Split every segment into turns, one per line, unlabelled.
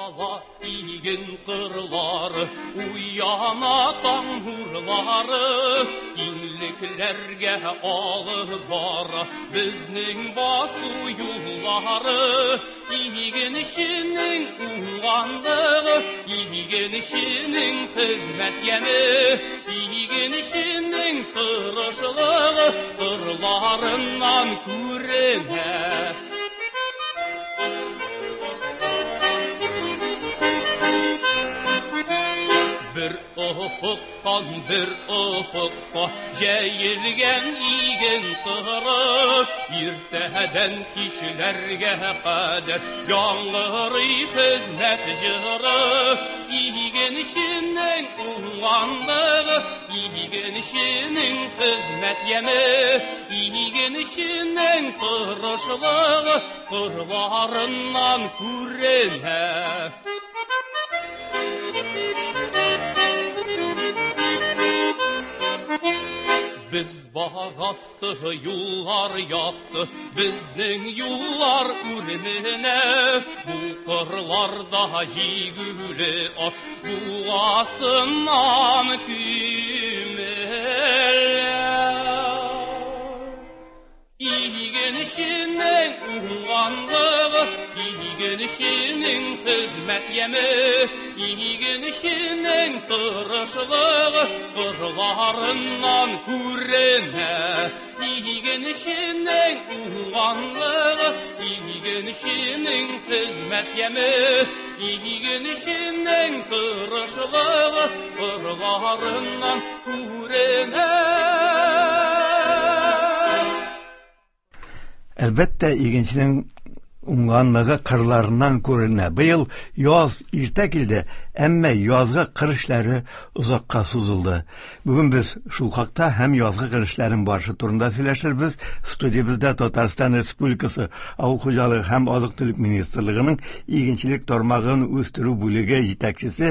Ачыла иген кырлары, уяна таң нурлары, киңлекләргә алып бара безнең басу юллары. Игенченең уңганлыгы, игенченең хезмәт яме, игенченең тырышлыгы кырларыннан күренә. Бер офыктан бер офыкка җәелгән иген кыры, иртәдән кичләргә кадәр яңгырый хезмәт җыры. Игенченең уңганлыгы, игенченең хезмәт яме, игенченең тырышлыгы кырларыннан күренә. Без барасы юллар якты, безнең юллар үременә. Бу кырларда җигүле ат буасыннан күмелә. Игенченең уңганлыгы, игенченең хезмәт яме, игенченең тырышлыгы кырларыннан күренә. Игенченең уңганлыгы, игенченең хезмәт яме, игенченең тырышлыгы кырларыннан күренә.
Әлбәттә, игенченең уңганлыгы кырларыннан күренә. Быел яз иртә килде, әмма язгы кыр эшләре озакка сузылды. Бүген без шул хакта һәм язгы кыр эшләренең барышы турында сөйләшербез. Студиябездә Татарстан Республикасы Авыл хуҗалыгы һәм азык-төлек министрлыгының игенчелек тармагын үстерү бүлеге җитәкчесе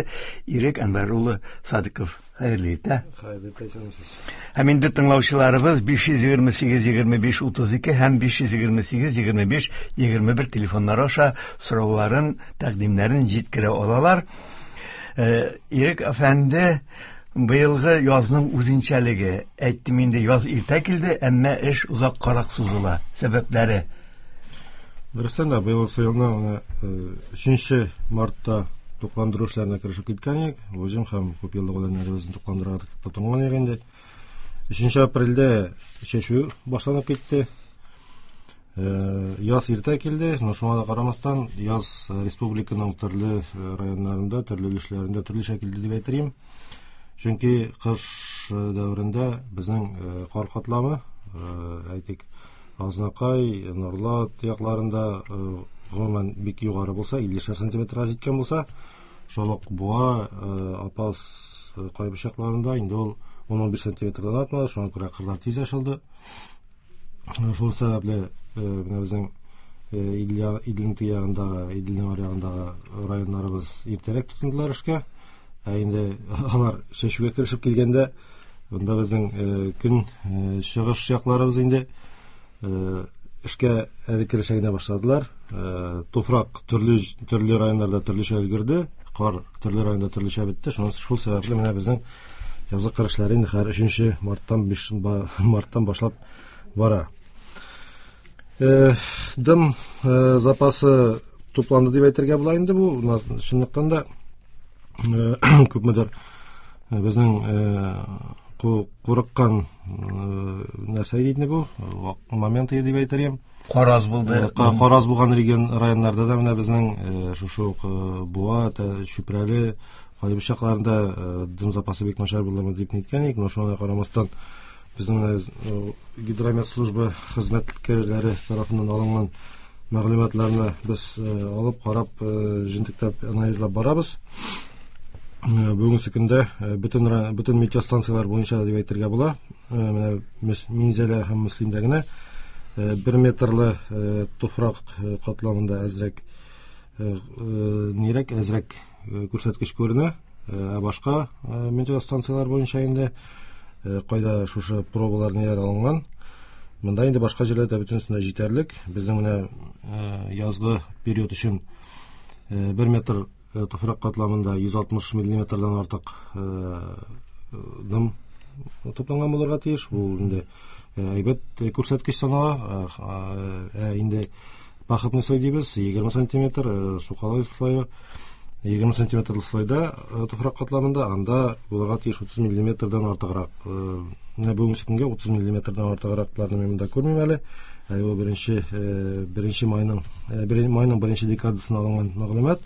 Ирек Әнвәр улы Садыков. Хәерле иртә.
Хәерле иртә, исәнмесез.
Һәм инде тыңлаучыларыбыз 528 25 32 һәм 528 25 21 телефоннары аша сорауларын, тәкъдимнәрен җиткерә алалар. Ирек әфәнде, быелгы язның үзенчәлеге, әйттем инде, яз иртә килде, әмма эш озаккарак сузыла. Сәбәпләре?
Дөрестән дә, быелгы елның менә 3 мартта тукландыру эшләренә керешеп киткән идек. Уҗым һәм күп еллык үләннәребезне тукландырырга тотынган идек инде. 3 апрельдә чәчү башланып китте. Яз иртә килде, но шуңа да карамастан, яз республиканың төрле районнарында, төрле өлешләрендә төрлечә килде дип әйтер идем. Чөнки кыш дәверендә безнең кар катламы, әйтик, Азнакай, Норлат якларында гомумән бик югары булса, 50 сантиметрга җиткән булса, шул ук Буа, Апас, Кайбыч якларында инде ул 10-15 сантиметрдан артмады, шуңа күрә кырлар тиз ачылды. Шул сәбәпле менә безнең Иделнең теге ягындагы, Иделнең аръягындагы районнарыбыз иртәрәк тотындылар эшкә. Ә инде алар чәчүгә керешеп килгәндә, монда безнең көн чыгыш якларыбыз инде эшкә әле керешә генә башладылар. Туфрак төрле районнарда төрлечә өлгерде, кар төрле районда төрлечә бетте. Шуның шул сәбәпле менә безнең язгы кыр эшләре инде хәзер 3 марттан 5 марттан башлап бара. Дым запасы тупланды дип әйтергә була инде бу. Чынлыктан да күпмедер безнең курыккан нәрсә иде бу, момент иде дип әйтер идем.
Кар аз булды.
Кар аз булган регион районнарда да менә безнең шушы ук Буа, Чүпрәле, Кайбыч якларында дым запасы бик начар булдымы дип әйткән идек, но шуңа карамастан безнең менә гидромет служба хезмәткәрләре тарафыннан алынган мәгълүматларны без алып, карап, җентекләп анализлап барабыз. Бүгенге көндә бөтен метеостанцияләр буенча дип әйтергә була. Менә Минзәлә һәм Мөслимдә генә 1 метрлы туфрак катламында әзрәк нирәк, әзрәк күрсәткеч күренә. Ә башка метеостанцияләр буенча инде кайда шушы пробалар ниләр алынган, монда инде башка җирләрдә бөтенесендә җитәрлек. Безнең менә язгы период өчен 1 метр Туфрак катламында 160 миллиметрдан артык дым тупланган булырга тиеш. Бу инде әйбәт күрсәткеч санала. Ә инде пахотный слой дибез, 20 сантиметр, сукалай слое 20 сантиметрлы слойда туфрак катламында анда булырга тиеш 30 миллиметрдан артыграк. Менә бүгенге көнгә 30 миллиметрдан артыгракларны мин монда күрмим әле. Әле бу беренче майның беренче декадасына алынган мәгълүмат.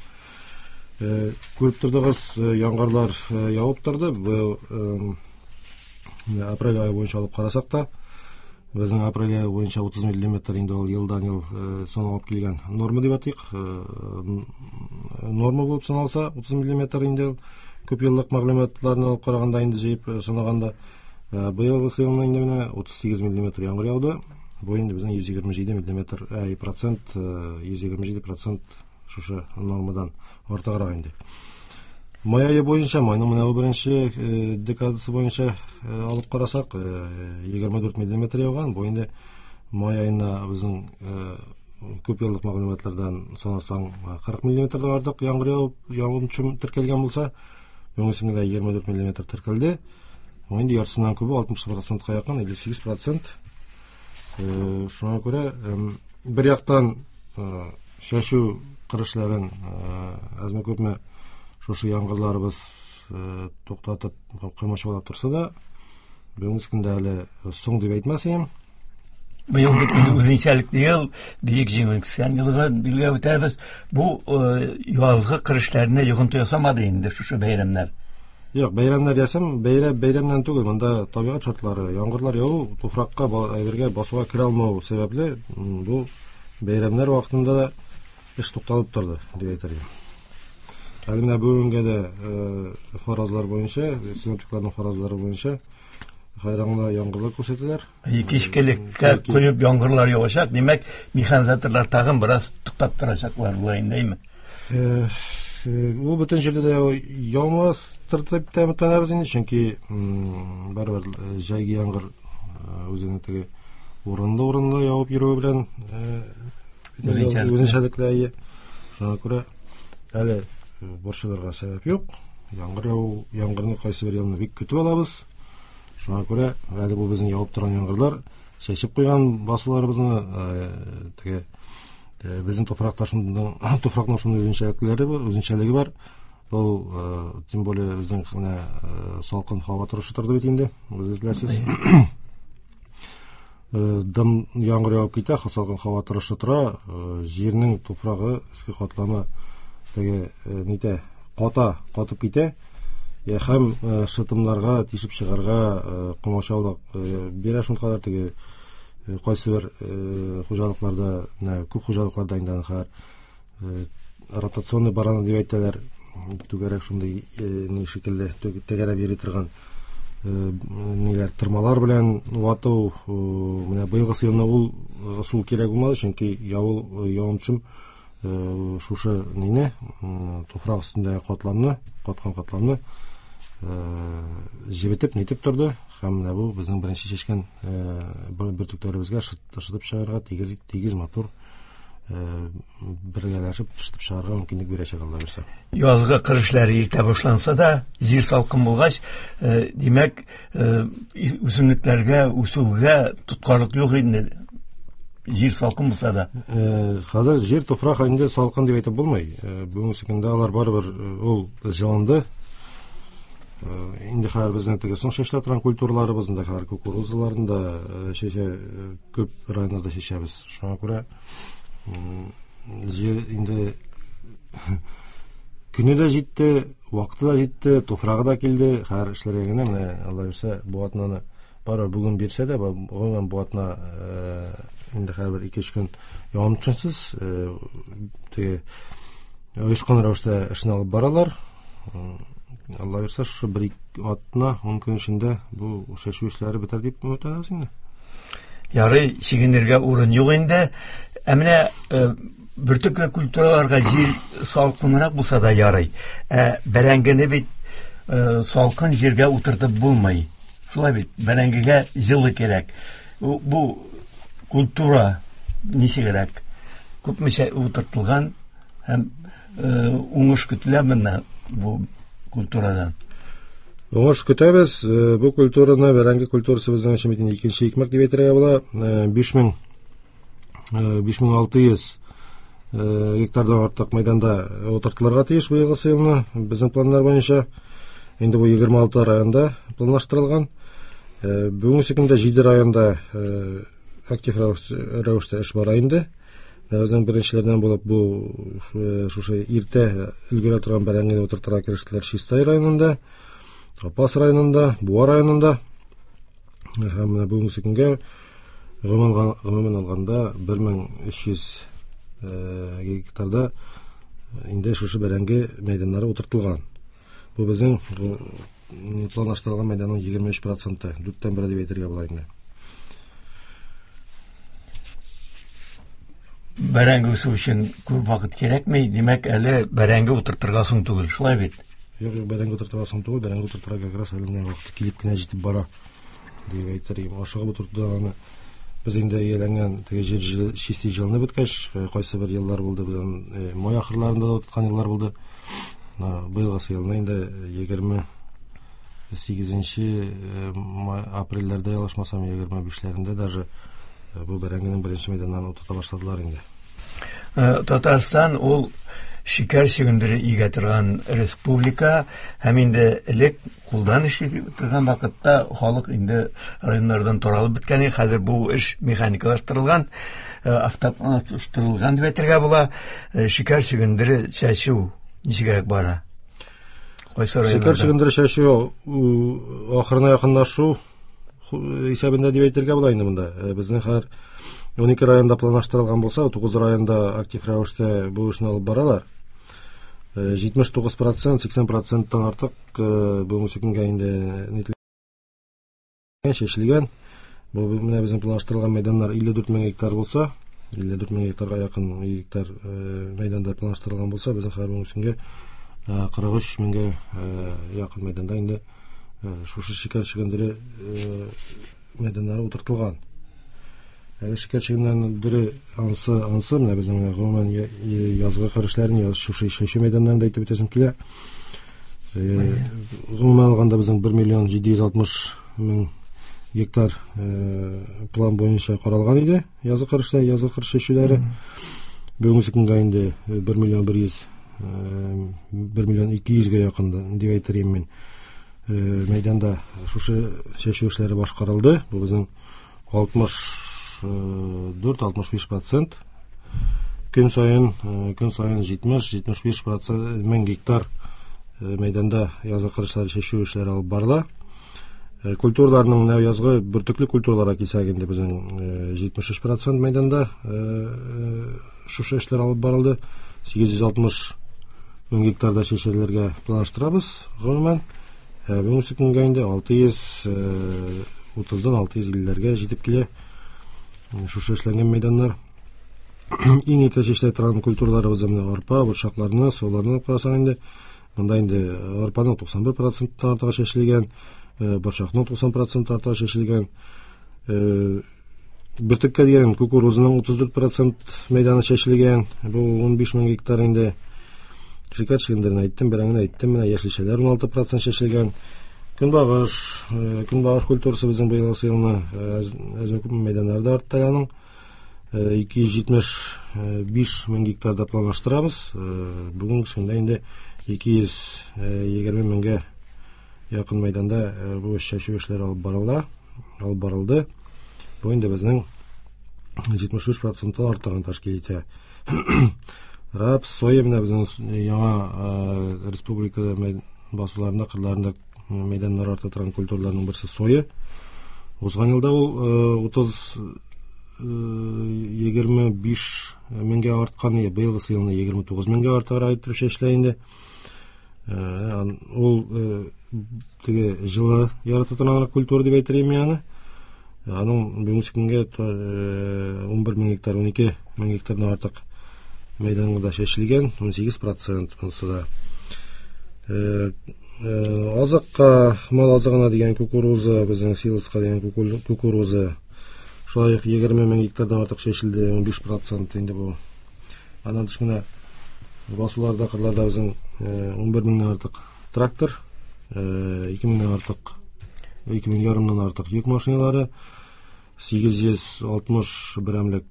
Күреп тордыгыз, яңгырлар явып торды. Бу апрель ае буенча алып карасак та, безнең апрель ае буенча 30 миллиметр инде ул елдан-ел саналып килгән норма дип атыйк. Норма булып саналса, 30 миллиметр инде күп еллык мәгълүматларны алып караганда инде җыеп санаганда, быелгы елны инде менә 38 миллиметр яңгыр яуды. Бу инде безнең 127 миллиметр, процент, 127% шушы нормадан артыграк инде. Май ае буенча, майның менә бу беренче декадасы буенча алып карасак, 24 миллиметр яуган. Бу инде май аена безнең күп еллык мәгълүматлардан санасаң, 40 миллиметрдан артык яңгыр явып, явым төшем теркәлгән булса, бүгенге көндә 24 миллиметр теркәлде. Бу инде яртысыннан күбе, 60%-ка якын, 58%. Шуңа күрә, бер яктан, чәчү кыр эшләрен, әзме-күпме шушы яңгырларыбыз туктатып, комачаулап торса да, бүгенге көндә әле соң дип әйтмәс идем.
Быел бит инде үзенчәлекле ел, Бөек Җиңү 80 еллыгы билгеләп үтәбез. Бу язгы кыр эшләренә йогынты ясамады инде шушы бәйрәмнәр.
Юк, бәйрәмнәр ясам, бәйрәмнән түгел, монда табигать шартлары, яңгырлар яву, туфракка, әйбергә басуга керә алмау сәбәпле, бу бәйрәмнәр вакытында да эш тукталып торды, дип әйтер идем. Әле менә бүгенгә дә фаразлар буенча, синоптикларның фаразлары буенча хайраңда яңгырлар күрсәтәләр.
Кичкелеккә коеп яңгырлар явачак, димәк, механизаторлар тагын бераз туктап торачаклар була инде, әйме?
Ул бөтен җирдә дә яумастыр дип тә өметләнәбез инде, чөнки барыбер җәйге яңгыр үзенең теге урынлы-урынлы явып йөрүе белән үзенчәлекле, әйе. Шуңа күрә әле борчылырга сәбәп юк. Яңгыр яву, яңгырны кайсы бер елны бик көтеп алабыз. Шуңа күрә әле бу безнең явып торган яңгырлар чәчеп куйган басуларыбызны, теге безнең туфракта шундый, туфракның шундый үзенчәлекләре бар, үзенчәлеге бар. Ул, тем более безнең менә салкын һава торышы торды бит инде, үзегез беләсез. Дым яңгыр явып китә, салкын һава торышы тора, җирнең туфрагы өске катламы теге нитә, ката, катып китә. Һәм шытымнарга тишеп чыгарга комачаулык бирә шулкадәр теге кайсы бер хуҗалыкларда, менә күп хуҗалыкларда инде аны хәзер ротационный борона дип әйтәләр, түгәрәк шундый ни шикелле тәгәрәп йөри торган ниләр, тырмалар белән вату. Менә быелгы елны ул ысул кирәк булмады, чөнки явым төшем шушы нине, туфрак өстендәге катламны, каткан катламны җебетеп, нитеп торды. Һәм менә бу безнең беренче чәчкән бөртекләребезгә шытып чыгарга тигез, тигез матур бергәләшеп шытып чыгарга мөмкинлек бирәчәк, Алла бирсә.
Язгы кыр эшләре иртә башланса да, җир салкын булгач, димәк, үсемлекләргә үсүгә тоткарлык юк инде. Җир салкын булса да.
Хәзер җир туфрак инде салкын дип әйтеп булмый. Бүгенге көндә алар барыбер ул җылынды. Инде хәзер безнең теге соң чәчелә торган культураларыбыз, инде хәзер кукурузаларны да чәчә, күп районнарда чәчәбез. Шуңа күрә җир инде көне дә җитте, вакыты да җитте, туфрагы да килде. Хәзер эшләргә генә, менә Алла бирсә, бу атнаны барыбер бүген бирсә дә, гомумән бу атна инде хәзер бер ике-өч көн явым төшенсез, теге оешкан рәвештә эшне алып баралар. Алла бирсә, шушы бер ике атна, 10 көн эчендә бу чәчү эшләре бетәр дип өметләнәбез инде.
Ярый, чигенергә урын юк инде. Ә менә бөртекле культураларга җир салкынрак булса да ярый. Ә бәрәңгене бит салкын җиргә утыртып булмый. Шулай бит, бәрәңгегә җылы кирәк. Бу культура ничегрәк? Күпмечә утыртылган һәм Уңыш көтелә менә бу культурадан?
Уңыш көтәбез. Бу культураны, бәрәңге культурасы безнең өчен бит инде икенче икмәк дип әйтергә була. 5600 гектардан артык мәйданда утыртылырга тиеш быелгы елны безнең планнар буенча. Инде бу 26 районда планлаштырылган. Бүгенге көндә 7 районда актив рәвештә эш бара инде. Безнең беренчеләрдән булып бу шушы иртә өлгерә торган бәрәңгене утыртырга керештеләр Чистай районында, Апас районында, Буа районында. Һәм менә бүгенге көнгә гомумән алганда 1300 гектарда инде шушы бәрәңге мәйданнары утыртылган. Бу безнең планлаштырылган мәйданның 23%, дүрттән бере дип әйтергә була инде.
Бәрәңге үсү өчен күп вакыт кирәкми, димәк, әле бәрәңге утыртырга соң түгел, шулай бит?
Юк, юк, бәрәңге утыртырга соң түгел, бәрәңге утыртырга как раз әле менә вакыты килеп кенә җитеп бара дип әйтер идем. Ашыгып утыртуда аны без инде ияләнгән теге җир чистый җылынып беткәч, кайсы бер еллар булды, без аны май ахырларында да утырткан еллар булды. Быелгысы елны инде егерме сигезенче апрельләрдә ялгышмасам, егерме бишләрендә даже бу бәрәңгенең беренче мәйданнарын утырта башладылар инде.
Татарстан ул шикәр чөгендере игә торган республика, һәм инде элек кулдан эшли торган вакытта халык инде районнардан таралып беткән иде. Хәзер бу эш механикалаштырылган, автоматлаштырылган дип әйтергә була. Шикәр чөгендере чәчү ничегрәк бара? Кайсы районнарда?
Шикәр чөгендере чәчү ахырына якынлашу исәбендә дип әйтергә була инде монда. Безнең һәр 12 районда планлаштырылган булса, 9 районда актив рәвештә бу эшне алып баралар. 79%, сиксән проценттан артык бүгенге көнгә инде нителгән, чәчелгән. Бу менә безнең планлаштырылган мәйданнар 54 мең гектар булса, 54 мең гектарга якын гектар мәйданда планлаштырылган булса, безнең хәзер бүгенге көнгә 43 меңгә якын мәйданда инде шушы шикәр чөгендере мәйданнары утыртылган. Әле шикәр чөгендере ансы менә безнең менә гомумән язгы кыр эшләрен, шушы чәчү мәйданнарын да әйтеп үтәсем килә. Гомумән алганда безнең бер миллион җиде йөз алтмыш мең гектар план буенча каралган иде язгы кыр эшләре, язгы кыр чәчүләре. Бүгенге көнгә инде бер миллион бер йөз бер миллион ике йөзгә якын дип әйтер идем мин. Мәйданда шушы чәчү эшләре башкарылды. Бу безнең алтмыш дүрт, алтмыш биш процент. Көн саен җитмеш, җитмеш биш процент мең гектар мәйданда язгы кыр эшләре, чәчү эшләре алып барыла. Культураларның менә язгы бөртекле культураларга килсәк инде безнең җитмеш өч процент мәйданда шушы эшләр алып барылды. Сигез йөз алтмыш мең гектарда чәчелергә планлаштырабыз гомумән. Бүгенге көнгә инде алты йөз утыздан алты йөз иллеләргә җитеп килә шушы эшләнгән мәйданнар. Иң иртә чәчелә торган культураларыбыз менә арпа, борчакларны, соларны алып карасаң инде, монда инде арпаның туксан бер проценттан артыгы чәчелгән, борчакның туксан проценттан артыгы чәчелгән. Бөртеккә дигән кукурузның утыз дүрт процент мәйданы чәчелгән, бу ун биш мең гектар инде. Шикәр чөгендерен әйттем, бәрәңгене әйттем, менә яшелчәләр ун алты процент чәчелгән. Көнбагыш культурасы безнең быелгы елны әзме күпме мәйданнарда артты аның. Ике йөз җитмеш биш мең гектарда планлаштырабыз. Бүгенге көндә инде ике йөз егерме меңгә якын мәйданда бу чәчү эшләре алып барыла, алып барылды. Бу инде безнең җитмеш өч проценттан артыгын тәшкил итә. Рапс, соя менә безнең яңа республикада басуларында, кырларында мәйданнар арта торган культураларның берсе соя. Узган елда ул утыз егерме биш меңгә арткан, быелгысы елны егерме тугыз меңгә артыграк иттереп чәчелә инде. Ул теге җылы ярата торган культура дип әйтер идем мин аны. Аның бүгенге көнгә 11 мең гектар, 12 мең гектардан артык мәйданга чәчелгән, ун сигез процент монысы да. Азыкка, мал азыгына дигән кукуруза, безнең силоска дигән кукуруза, шулай ук егерме мең гектардан артык чәчелде, ун биш процент инде бу. Аннан тыш менә Басуларда, кырларда безнең 11 меңнән артык трактор, 2 меңнән артык, 2 мең ярымнан артык йөк машиналары, 860 берәмлек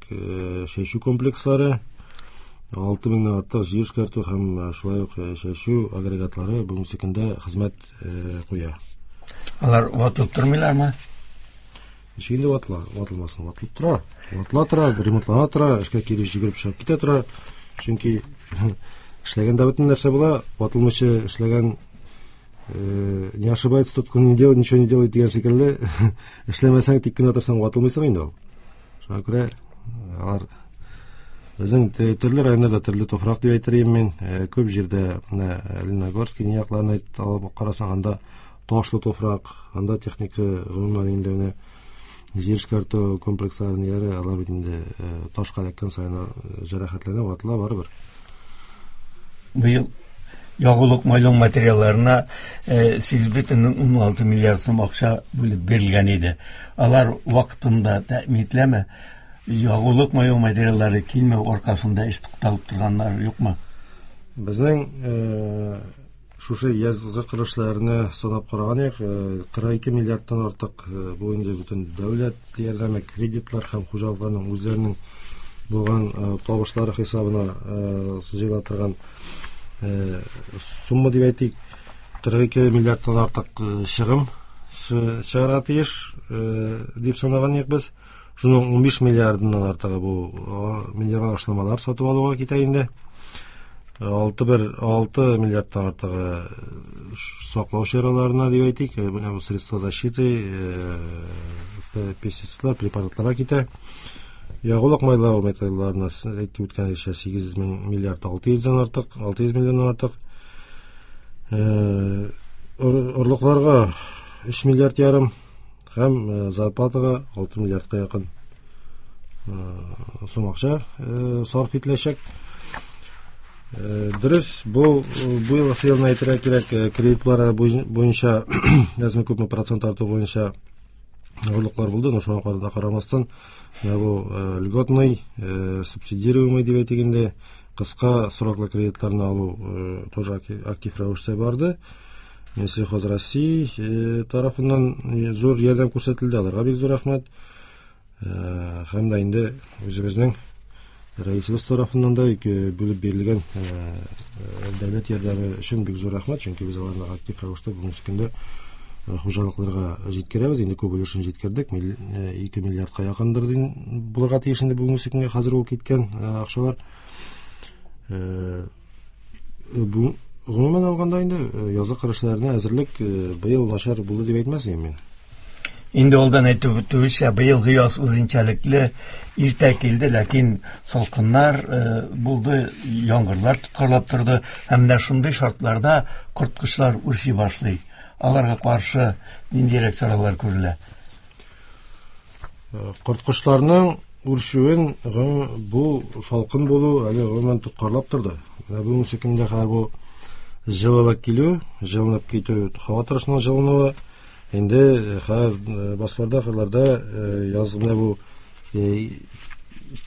чәчү комплекслары, 6 меңнән артык җир эшкәртү һәм шулай ук чәчү агрегатлары бүгенге көндә хезмәт куя.
Алар ватылып тормыйлармы?
Ничек инде ватыла, ватылмасын, ватылып тора. Ватыла тора, ремонтлана тора, эшкә килеп җигереп чыгып китә тора. Чөнки эшләгәндә бөтен нәрсә була, ватылмыйча эшләгән не ошибается тот, кто не делает, ничего не делает дигән шикелле, эшләмәсәң, тик кенә торсаң, ватылмыйсың инде ул. Шуңа күрә алар безнең төрле районнарда төрле туфрак дип әйтер идем мин. Күп җирдә менә Лениногорский якларын алып карасаң, анда ташлы туфрак, анда техника гомумән инде менә җир эшкәртү комплексларын яре, алар бит инде ташка эләккән саен җәрәхәтләнә, ватыла барыбер.
Быел ягулык майлау материалларына 8,16 миллиард сум акча бүлеп бирелгән иде. Алар вакытында тәэмин ителәме? Ягулык майлау материаллары килмәү аркасында эш тукталып торганнар юкмы?
Безнең шушы язгы кыр эшләренә санап караган идек, 42 миллиардтан артык бу инде бөтен дәүләт ярдәме, кредитлар һәм хуҗалыкларның үзләренең булган табышлары хисабына җыела торган сумма дип әйтик, 42 миллиардтан артык чыгым чыгарга тиеш дип санаган идек без. Шуның 15 миллиардыннан артыгы бу минерал ашламалар сатып алуга китә инде. 6 миллиардтан артыгы саклау чараларына дип әйтик, менә бу средства защиты, пестицидлар, препаратларга китә. Ягулык майлау материалларына әйтеп үткәнчә 8 миллиард 600-дән артык, 600 миллионнан артык. Орлыкларга 3 миллиард ярым һәм зарплатага 6 миллиардка якын сум акча сарыф ителәчәк. Дөрес, бу быелгы елны әйтергә кирәк, кредитлар буенча әзме күпме процент арту буенча авырлыклар булды, но шуңа да карамастан, менә бу льготный, субсидируемый дип әйтик инде, кыска сроклы кредитларны алу тоже актив рәвештә барды. Минсельхоз России тарафыннан зур ярдәм күрсәтелде, аларга бик зур рәхмәт. Һәм дә инде үзебезнең рәисебез тарафыннан да бүлеп бирелгән дәүләт ярдәме өчен бик зур рәхмәт, чөнки без аларны актив рәвештә бүгенге көндә хуҗалыкларга җиткерәбез. Инде күп өлешен җиткердек, 2 миллиардка якындыр булырга тиеш инде бүгенге көнгә хәзер ул киткән акчалар. Гомумән алганда инде язгы кыр эшләренә әзерлек быел начар булды дип әйтмәс идем мин.
Инде алдан әйтеп үтүебезчә, быелгы яз үзенчәлекле иртә килде, ләкин салкыннар булды, яңгырлар тоткарлап торды. Һәм менә шундый шартларда корткычлар үрчи башлый. Аларга каршы ниндирәк чаралар күрелә?
Корткычларның үрчүен бу салкын булу әле гомумән тоткарлап торды. Менә бүгенге көндә хәзер бу җылылык килү, җылынып китү, һава торышының җылынуы инде хәзер басуларда, кырларда яз менә бу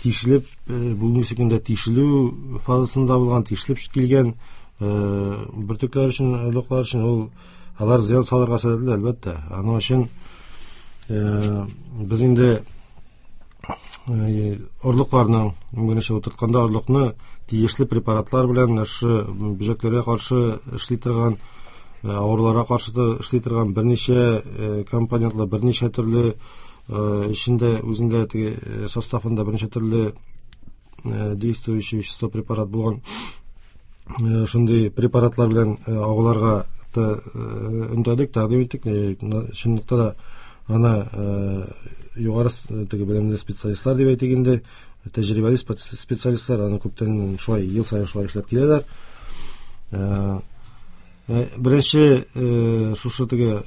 тишелеп, бүгенге көндә тишелү фазасында булган, тишелеп килгән бөртекләр өчен, орлыклар өчен ул алар зыян салырга сәләтле, әлбәттә. Аның өчен без инде орлыкларның, беренче утыртканда орлыкны тиешле препаратлар белән шушы бөҗәкләргә каршы эшли торган, авыруларга каршы эшли торган берничә компонентлы, берничә төрле эчендә, үзендә теге составында берничә төрле действующий вещество препарат булган шундый препаратлар белән агуларга өндәдек, тәкъдим иттек. Чынлыкта да аны югары теге белемле специалистлар дип әйтик инде, тәҗрибәле специалистлар аны күптән шулай ел саен шулай эшләп киләләр. Беренче шушы теге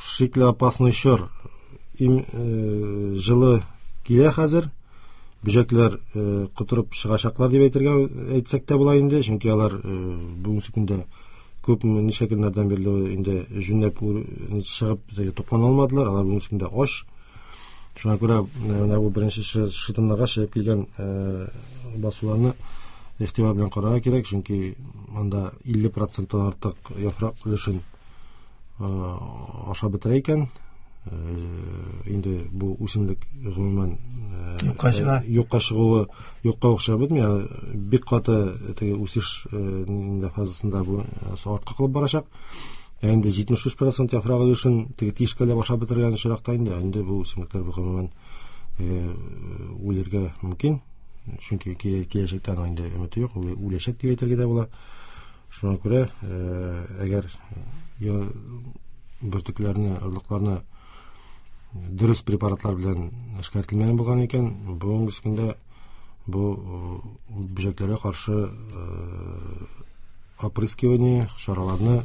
шикле опасный чор җылы килә хәзер. Бөҗәкләр котырып чыгачаклар дип әйтергә әйтсәк тә була инде, чөнки алар бүгенге көндә күп ничә көннәрдән бирле инде җүнләп чыгып туклана алмадылар, алар бүгенге көндә ач. Шуңа күрә менә бу беренче шытымнарга чыгып килгән басуларны игътибар белән карарга кирәк, чөнки анда 50%-тан артык яфрак өлешен ашап бетерә икән. Инде бу үсемлек гомумән
юкка чыга.
Юкка чыгуы юкка ук чыгып бетми, бик каты теге үсеш фазасында бу артка калып барачак. Ә инде 73% яфрак өлешен теге тишкәләп ашап бетергән очракта инде бу үсемлекләр гомумән үлергә мөмкин. Чөнки киләчәктә аның инде өмете юк, үләчәк дип әйтергә дә була. Шуңа күрә, әгәр бөртекләрне, орлыкларны дөрес препаратлар белән эшкәртелмәгән булган икән, бүгенге көндә бу бөҗәкләргә каршы опрыскивание чараларны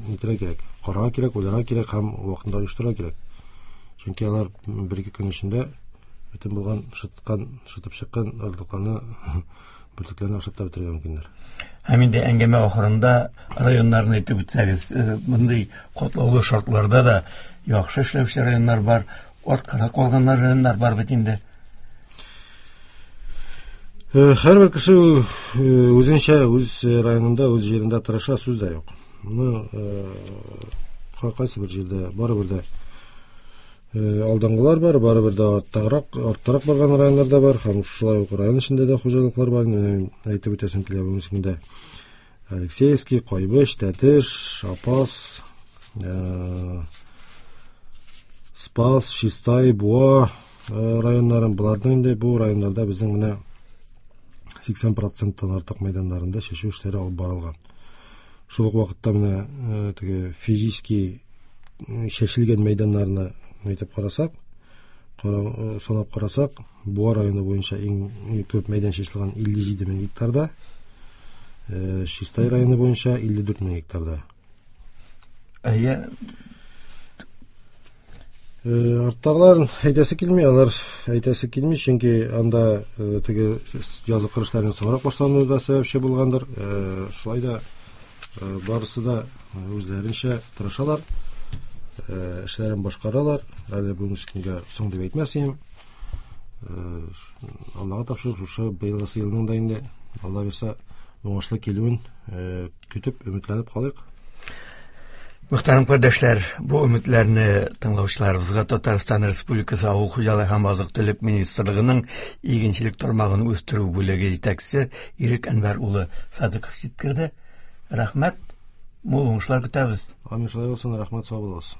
нитәргә кирәк, карарга кирәк, уйларга кирәк һәм вакытында оештырырга кирәк. Чөнки алар бер-ике көн эчендә бөтен булган шыткан, шытып чыккан орлыкларны, бөртекләрне ашап та бетерергә мөмкиннәр.
Һәм инде әңгәмә ахырында районнарны әйтеп үтсәгез, мондый катлаулы шартларда да яхшы эшләүче районнар бар, арткарак калган районнар бар бит инде.
Һәрбер кеше үзенчә, үз районында, үз җирендә тырыша, сүз дә юк. Ну, кайсы бер җирдә барыбер дә алдынгылар бар, барыбер дә арттарак, арттарак барган районнар да бар, һәм шулай ук район эчендә дә хуҗалыклар бар. Әйтеп үтәсем килә бүгенге көндә Алексеевский, Кайбыч, Тәтеш, Апас, Спас, Чистай, Буа районнарын, боларның инде бу районнарда безнең менә 80%-тан артык мәйданнарында чәчү эшләре алып барылган. Шул ук вакытта менә теге физически чәчелгән мәйданнарны әйтеп карасак, санап карасак, Буа районы буенча иң күп мәйдан чәчелгән 57 мең гектарда, Чистай районы буенча 54 мең гектарда.
Әйе.
Арттагылар әйтәсе килми, алар әйтәсе килми, чөнки анда теге язгы кыр эшләренең соңрак башлануы да сәбәпче булгандыр. Шулай да барысы да үзләренчә тырышалар, эшләрен башкаралар. Әле бүгенге көнгә соң дип әйтмәс идем. Аллага тапшырып, шушы быелгысы елның да инде Алла бирсә уңышлы килүен көтеп, өметләнеп калыйк.
Мөхтәрәм кардәшләр, бу өметләрне тыңлаучыларыбызга Татарстан Республикасы Авыл хуҗалыгы һәм азык-төлек министрлыгының игенчелек тармагын үстерү бүлеге җитәкчесе Ирек Әнвәр улы Садыков җиткерде. Рәхмәт, мул уңышлар көтәбез.
Амин, шулай булсын, рәхмәт, сау булыгыз.